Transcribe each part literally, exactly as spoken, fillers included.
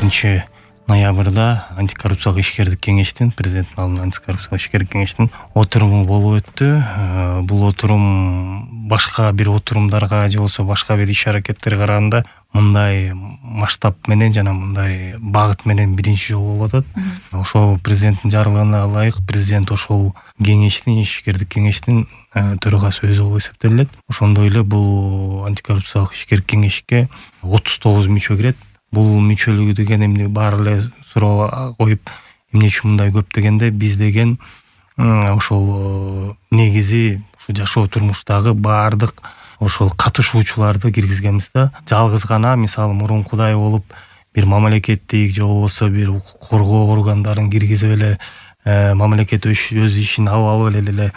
алтынчы ноябрда антикоррупциялык ишкердик кеңештин, президенттин алдында антикоррупциялык ишкердик кеңештин отуруму болуп өттү. Бул отурум башка бир отурумдарга же болбосо башка бир иш аракеттерге караганда мындай масштаб менен жана мындай багыт менен биринчи жолу болуп атат. Ошо президенттин жарлыгына ылайык президент ошол кеңештин, ишкердик кеңештин төрагасы өзү болуп эсептелет. Ошондой эле бул антикоррупциялык ишкердик кеңешке отуз тогуз мүчө кирет. Бул мүчөлүгү деген эмне баары эле суроо коюп, эмне үчүн мындай көп дегенде, биз деген ошол негизи ушу жашоо турмуштагы баардык ошол катышуучуларды киргизгенбиз да. Жалгыз гана мисалы мурункудай болуп бир мамлекеттик же болбосо бир укук коргоо органдарын киргизип эле мамлекет өз ишин алып алып эле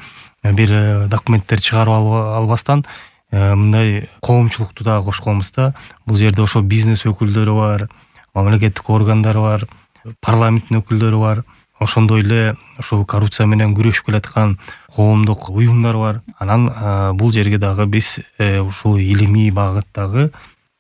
бир документтер чыгарып албастан мындай коомчулукту дагы кошконбуз да. Бул жерде ошо бизнес өкүлдөрү бар, мамлекеттик органдар бар, парламенттин өкүлдөрү бар. Ошондой эле ошол коррупция менен күрөшүп келаткан коомдук уюмдар бар. Анан бул жерге дагы биз ушул илимий багыттагы,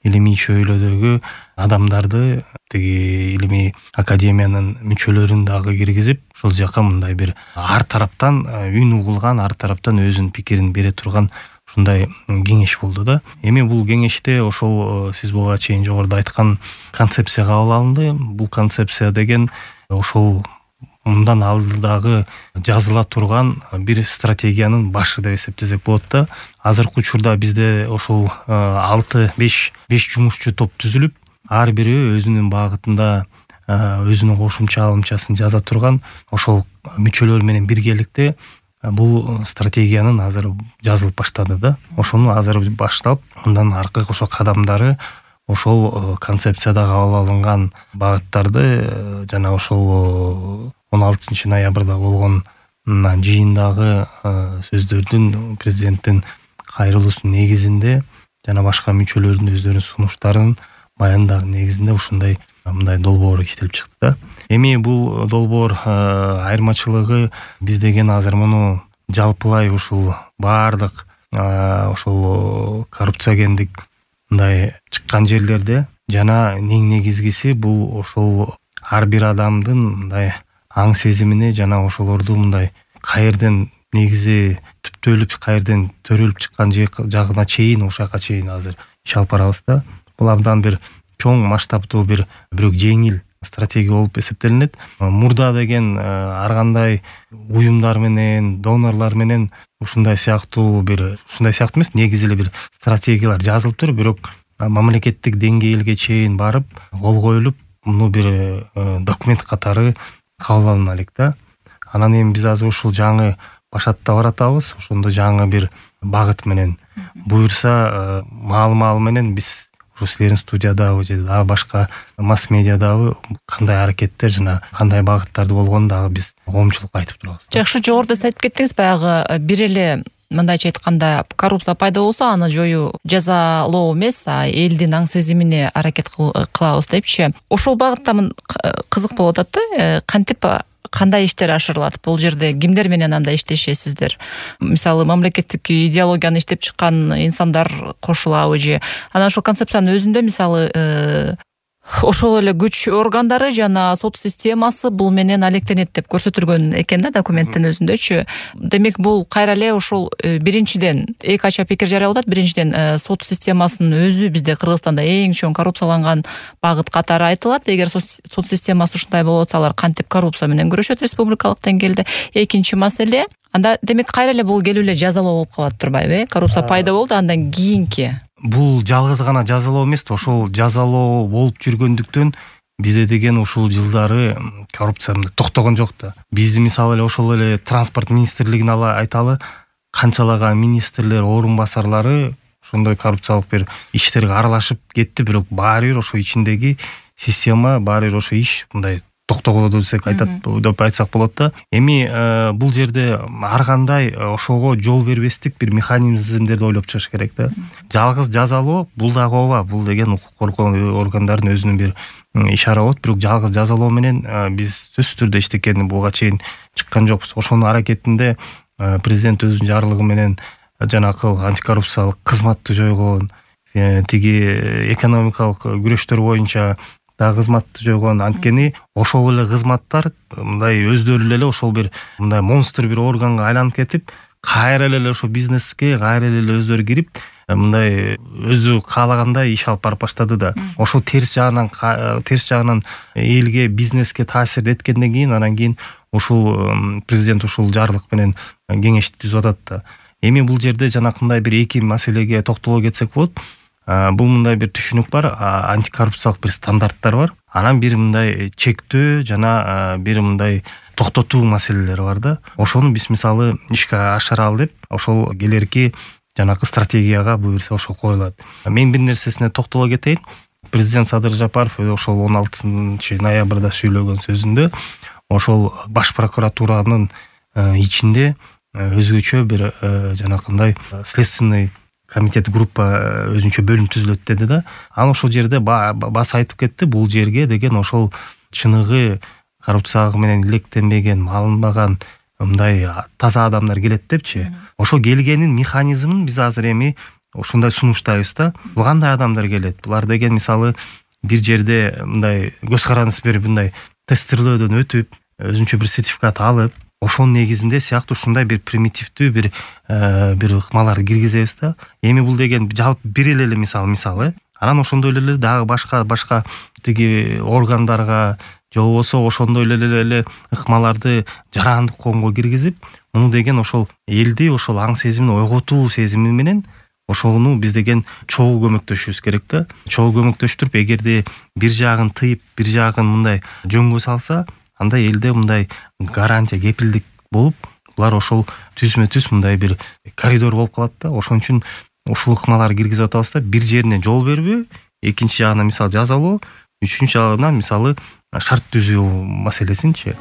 илимий чөйрөдөгү адамдарды, тиги илимий академиянын мүчөлөрүн дагы киргизип, ошол жака мындай бир ар тараптан үн угулган, ар тараптан өзүнүн пикирин бере турган ушундай кеңеш болду да. Эми бул кеңеште ошол сиз буга чейин жогоруда айткан концепция кабыл алынды. Бул концепция деген ошол мындан алдыдагы жазыла турган бир стратегиянын башы деп эсептесек болот да. Азыркы учурда бизде ошол алты беш жумушчу топ түзүлүп, ар бири өзүнүн багытында өзүнүн кошумча алымчасын жаза турган ошол мүчөлөр менен биргеликте бул стратегиянын азыр жазылып баштады да. Ошону азыр баштап, мындан аркы ошо кадамдары ошол концепцияда кабыл алынган багыттарды жана ошол он алтынчы ноябрда болгон жыйындагы сөздөрдүн, президенттин кайрылуусунун негизинде жана башка мүчөлөрдүн өздөрүнүн сунуштарынын баяндагы негизинде ушундай мындай долбоор иштелип чыкты да. Эми бул долбоор айырмачылыгы, биз деген азыр муну жалпылай ушул баардык ошол коррупциогендик мындай чыккан жерлерде жана эң негизгиси бул ошол ар бир адамдын мындай аң сезимине жана ошолорду мындай каерден негизи түптөлүп, каерден төрөлүп чыккан жагына чейин, ошака чейин азыр иш алып барабыз да. Бул абдан бир чоң масштабтуу бир бирок жеңил стратегия болуп эсептелинет. Мурда деген ар кандай уюмдар менен, донорлор менен ушундай сыяктуу бир ушундай сыяктуу эмес, негизи эле бир стратегиялар жазылып туруп, бирок мамлекеттик деңгээлге чейин барып, кол коюлуп, муну бир документ катары кабыл алына элек да. Анан эми биз азыр ушул жаңы башатта баратабыз. Ошондо жаңы бир багыт менен буюрса маал-маал менен биз ушу силердин студиядагы же дагы башка масс медиадагы кандай аракеттер жана кандай багыттарды болгонун дагы биз коомчулукка айтып турабыз. Жакшы, жогоруда сиз айтып кеттиңиз, баягы бир эле мындайча айтканда коррупция пайда болсо аны жоюу жазалоо эмес, а элдин аң сезимине аракет кылабыз депчи. Ошол багытта кызык болуп атат да, кантип кандай иштер ашырылат? Бул жерде кимдер менен анда иштешесиздер? Мисалы, мамлекеттик идеологияны иштеп чыккан инсандар кошулабы же? Анан ошол концепциянын өзүндө мисалы ошол эле күч органдары жана сот системасы бул менен алектенет деп көрсөтүлгөн экен да документтин өзүндөчү. Демек бул кайра эле ошол биринчиден эки ача пикир жарыялап атат. Биринчиден сот системасынын өзү бизде Кыргызстанда эң чоң коррупцияланган багыт катары айтылат. Эгер сот системасы ушундай болуп атса, алар кантип коррупция менен күрөшөт республикалык деңгээлде? Экинчи маселе, анда демек кайра эле бул келип эле жазалоо болуп калат турбайбы? Коррупция пайда болду, андан кийинки бул жалгыз гана жазалоо эмес, ошол жазалоо болуп жүргөндүктөн бизде деген ушул жылдары коррупция токтогон жок да. Биз мисалы эле ошол эле транспорт министрлигин айталы, канчалаган министрлер, орун басарлары ошондой коррупциялык бир иштерге аралашып кетти, бирок баары бир ошо ичиндеги система, баары бир ошо иш мындай токтогоду десек айтат деп айтсак болот да. Эми бул жерде ар кандай ошого жол бербестик бир механизмдерди ойлоп чыгыш керек да. Жалгыз жазалоо бул дагы ооба, бул деген укук коргоо органдарынын өзүнүн бир ишара болот, бирок жалгыз жазалоо менен биз сөзсүз түрдө иштекени буга чейин чыккан жокпуз. Ошонун аракетинде президент өзүнүн жарлыгы менен жанакы антикоррупциялык кызматты жойгон, тиги экономикалык күрөштөр боюнча да кызматты жойгон. Анткени ошол эле кызматтар мындай өздөрү эле ошол бир мындай монстр бир органга айланып кетип, кайра эле ошо бизнеске кайра эле өздөрү кирип, мындай өзү каалагандай иш алып барып баштады да. Ошол терс жагынан терс жагынан элге, бизнеске таасир эткенден кийин, анан кийин ушул президент ушул жарлык менен кеңешти түзүп атат да. Эми бул жерде жанакындай бир эки маселеге токтоло кетсек болот. Бул мындай бир түшүнүк бар, антикоррупциялык бир стандарттар бар. Анан бир мындай чектөө жана бир мындай токтотуу маселелери бар да. Ошону биз мисалы ишке ашыралы деп, ошол келерки жанакы стратегияга буюрса ошол коюлат. Мен бир нерсесине токтоло кетейин. Президент Садыр Жапаров ошол он алтынчы ноябрда сүйлөгөн сөзүндө ошол баш прокуратуранын ичинде өзгөчө бир жанакындай следственный комитет группа өзүнчө бөлүм түзүлөт деди да. Анан ошол жерде баса айтып кетти, бул жерге деген ошол чыныгы коррупцияга менен илектенбеген, малынбаган мындай таза адамдар келет депчи. Ошо келгенин механизмин биз азыр эми ушундай сунуштайбыз да. Бул кандай адамдар келет? Булар деген мисалы бир жерде мындай көз каранды берип, мындай тестирлөөдөн өтүп, өзүнчө бир сертификат алып, ошонун негизинде сыяктуу ушундай бир примитивдүү бир бир ыкмаларды киргизебиз да. Эми бул деген жалпы бир эле мисал мисалы. Анан ошондой эле дагы башка башка тиги органдарга же болбосо ошондой эле ыкмаларды жарандык коомго киргизип, муну деген ошол элди ошол аң сезимин ойготуу сезими менен ошону биз деген чогуу көмөктөшүбүз керек да. Чогуу көмөктөштүрүп, эгерде бир жагын тыйып, бир жагын мындай жөнгө салса, анда элде мындай гарантия, кепилдик болуп, булар ошол түзмө-түз мындай бир коридор болуп калат да. Ошон үчүн ушул ыкмаларды киргизип атабыз да. Бир жерине жол бербөө, экинчи жагына мисалы жазалоо, үчүнчү жагына мисалы шарт түзүү маселесинчи.